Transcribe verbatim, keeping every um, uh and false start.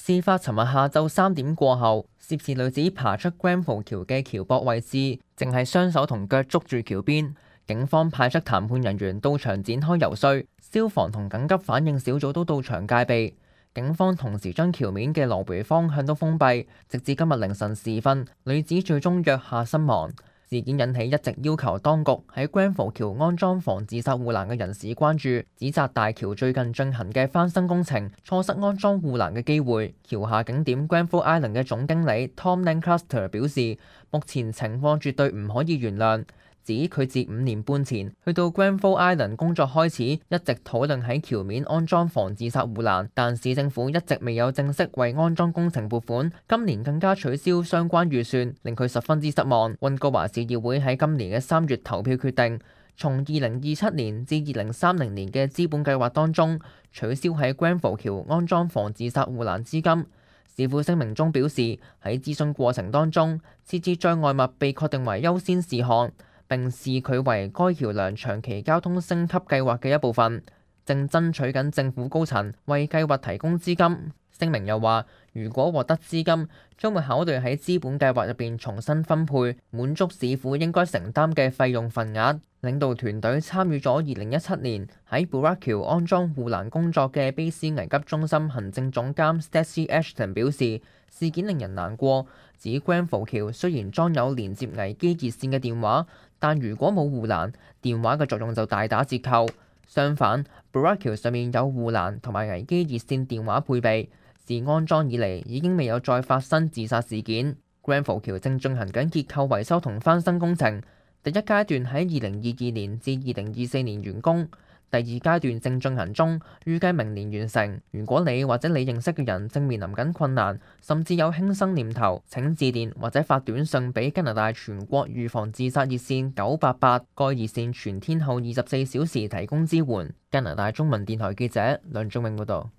事發尋日下晝三點過後，涉事女子爬出 Grenfell 橋嘅橋膊位置，淨係雙手同腳捉住橋邊。警方派出談判人員到場展開游說，消防同緊急反應小組都到場戒備。警方同時將橋面嘅來回方向都封閉，直至今日凌晨時分，女子最終躍下身亡。事件引起一直要求當局喺 Grenfell 橋安裝防自殺護欄嘅人士關注，指責大橋最近進行嘅翻新工程錯失安裝護欄嘅機會。橋下景點 Grenfell Island 嘅總經理 Tom Lancaster 表示，目前情況絕對唔可以原諒。指佢自五年半前去到 Grenfell Island 工作開始，一直討論喺橋面安裝防自殺護欄，但市政府一直未有正式為安裝工程撥款，今年更加取消相關預算，令佢十分之失望。溫哥華市議會喺今年嘅三月投票決定，從二零二七年至二零三零年嘅資本計劃當中取消喺 Grenfell 橋安裝防自殺護欄資金。市府聲明中表示，喺諮詢過程當中，設置障礙物被確定為優先事項，並視佢為該橋梁長期交通升級計劃嘅一部分，正爭取緊政府高層為計劃提供資金。聲明又話，如果獲得資金，將會考慮喺資本計劃入邊重新分配，滿足市府應該承擔嘅費用份額。領導團隊參與咗二零一七年喺 Burrard 橋安裝護欄工作嘅卑斯危急中心行政總監 Stacey Ashton 表示，事件令人難過，指 Grenfell 橋雖然裝有連接危機熱線嘅電話，但如果冇護欄，電話嘅作用就大打折扣。相反 Burrard 橋上面有護欄同埋危機熱線電話配備，自安裝以嚟已經未有再發生自殺事件。Grenfell 橋正進行緊結構維修同翻新工程，第一階段喺二零二二年至二零二四年完工，第二階段正進行中，預計明年完成。如果你或者你認識嘅人正面臨緊困難，甚至有輕生念頭，請致電或者發短信俾加拿大全國預防自殺熱線九八八，該熱線全天候二十四小時提供支援。加拿大中文電台記者梁仲永報道。